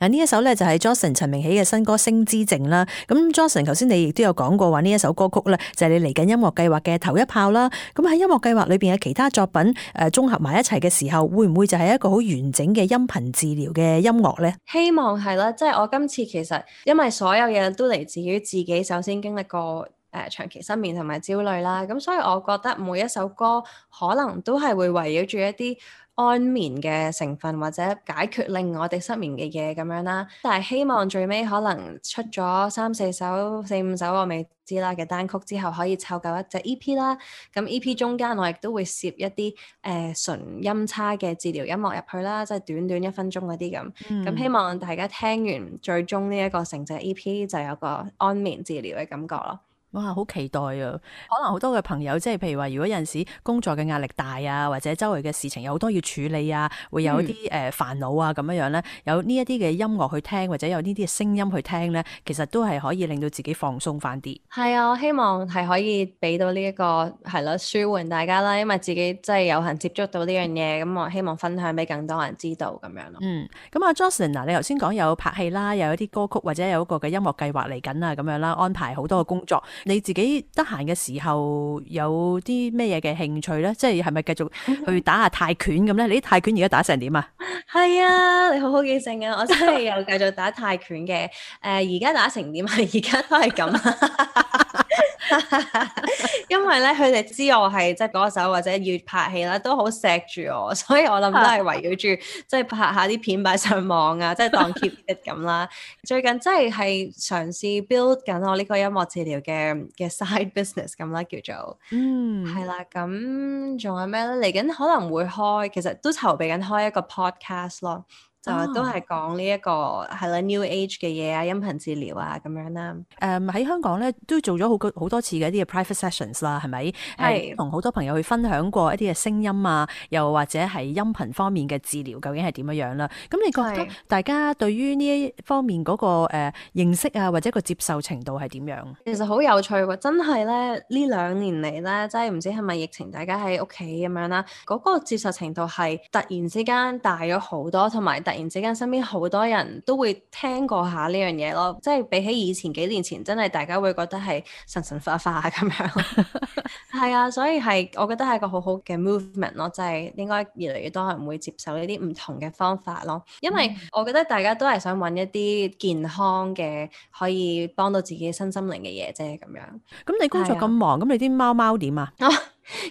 呢一首咧就係 Johnson 陳明喜嘅新歌《星之靜》啦。咁 Johnson 頭先你亦都有講過話呢一首歌曲咧就係你嚟緊音樂計劃嘅頭一炮啦。咁喺音樂計劃裏邊嘅其他作品綜合埋一齊嘅時候，會唔會就係一個好完整嘅音頻治療嘅音樂咧？希望係啦，即係我今次其實因為所有嘢都嚟自於自己首先經歷過長期失眠同埋焦慮啦，咁所以我覺得每一首歌可能都係會圍繞住一啲安眠嘅成分或者解決令我哋失眠嘅嘢咁樣啦，但係希望最尾可能出咗3、4首、4、5首我未知啦嘅單曲之後，可以湊夠一隻 EP 啦。咁 EP 中間我亦都會攝一啲純音叉嘅治療音樂入去啦，即係短短1分鐘嗰啲咁。咁希望大家聽完最終呢一個成隻 EP 就有個安眠治療嘅感覺咯。哇，好期待啊！可能好多嘅朋友，即係譬如話，如果有陣時工作嘅壓力大啊，或者周圍嘅事情有好多要處理啊，會有一啲煩惱啊咁樣樣咧，有呢一啲嘅音樂去聽，或者有呢啲嘅聲音去聽咧，其實都係可以令到自己放鬆翻啲。係啊，我希望係可以俾到呢一個係咯，舒緩大家啦，因為自己真係有幸接觸到呢樣嘢，咁我希望分享俾更多人知道咁樣咯。咁阿 Jocelyn 嗱，你頭先講有拍戲啦，又有啲歌曲或者有一個嘅音樂計劃嚟緊啊，咁樣啦，安排好多嘅工作。你自己得閒嘅時候有啲咩嘢嘅興趣咧？即係咪繼續去打下泰拳咁咧？你啲泰拳而家打成點啊？係啊，你好好記性啊！我真係有繼續打泰拳嘅。而家打成點啊？而家都係咁。因為咧，佢哋知我係即係歌手或者要拍戲啦，都好錫住我，所以我諗都係圍繞住即係拍下啲片擺上網啊，即係當 keep it 咁啦。最近真係嘗試 build 緊我呢個音樂治療嘅 side business 咁啦，叫做係啦。咁仲有咩咧？嚟緊可能會開，其實都籌備緊開一個 podcast 咯。就都係講呢一個係啦 New Age 嘅嘢啊，音頻治療啊咁樣啦。喺香港咧都做咗好多次嘅一啲嘅 private sessions 啦，係咪？係同好多朋友去分享過一啲嘅聲音啊，又或者係音頻方面嘅治療究竟係點樣樣啦？咁你覺得大家對於呢一方面嗰個認識啊，或者個接受程度係點樣？其實好有趣喎，真係咧呢2年嚟咧，真係唔知係咪疫情，大家喺屋企咁樣啦，嗰個接受程度係突然之間大咗好多，同埋突然之間身邊好多人都會聽過下呢樣嘢咯，即係比起以前幾年前，真係大家會覺得係神神化化咁樣。係啊，所以我覺得係一個好好嘅 movement 咯，即係應該越嚟越多人會接受呢啲唔同嘅方法咯。因為我覺得大家都係想揾一啲健康嘅，可以幫到自己身心靈嘅嘢啫咁樣。咁你工作咁忙，咁你啲貓點啊？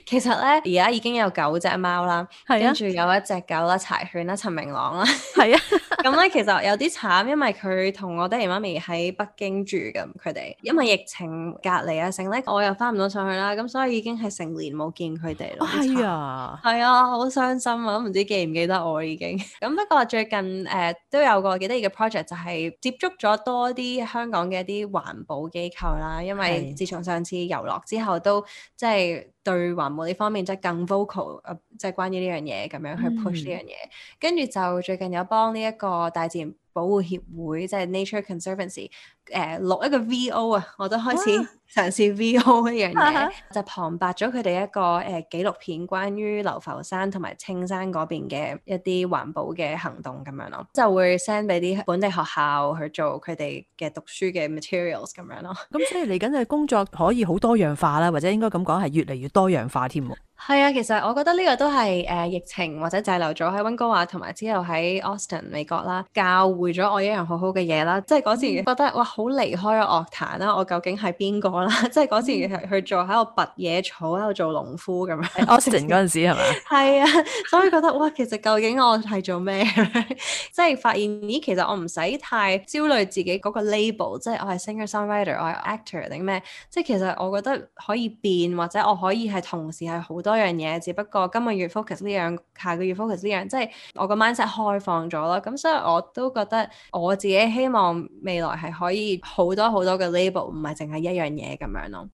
其實咧，而家已經有9隻貓啦，跟住有一隻狗啦，柴犬啦，陳明朗啦，係啊。咁咧其實有啲慘，因為佢同我爹哋媽咪喺北京住咁，佢哋因為疫情隔離啊，成咧我又翻唔到上去啦，咁所以已經係成年冇見佢哋咯。係啊，係啊，好傷心啊，都唔知記唔記得我已經。咁不過最近都有個幾得意嘅 project，就係接觸咗多啲香港嘅一啲環保機構啦，因為自從上次遊樂之後都即係對環保呢方面即係更 vocal，即係關於呢樣嘢咁樣去 push 呢樣嘢。跟住就最近有幫呢一個大自然保護協會，即係 Nature Conservancy，錄一個 VO 啊，我都開始嘗試 VO 一樣嘢，就旁白咗佢哋一個紀錄片，關於流浮山同埋青山嗰邊嘅一啲環保嘅行動咁樣咯，就會 send 俾啲本地學校去做佢哋嘅讀書嘅 materials 咁樣咯。咁所以嚟緊嘅工作可以好多樣化啦，或者應該咁講係越嚟越多樣化添。係啊，其實我覺得呢個都係疫情或者滯留咗喺溫哥華同埋之後喺 Austin 美國啦，教會咗我一樣好好嘅嘢啦。即係嗰時覺得哇，好離開咗樂壇啦，我究竟係邊個啦？即係嗰時去做喺度拔野草，喺度做農夫咁樣。Austin 嗰陣時係咪？係啊，所以覺得哇，其實究竟我係做咩？即係發現咦，其實我唔使太焦慮自己嗰個 label， 即係我係 singer-songwriter， 我係 actor 定咩？即係其實我覺得可以變，或者我可以係同時係好多樣嘢，只不過今個月 focus 呢樣，下個月 focus 呢樣，即係我個 mindset 開放咗咯。咁所以我都覺得我自己希望未來係可以好多好多嘅 label，唔係淨係一樣嘢咁樣咯。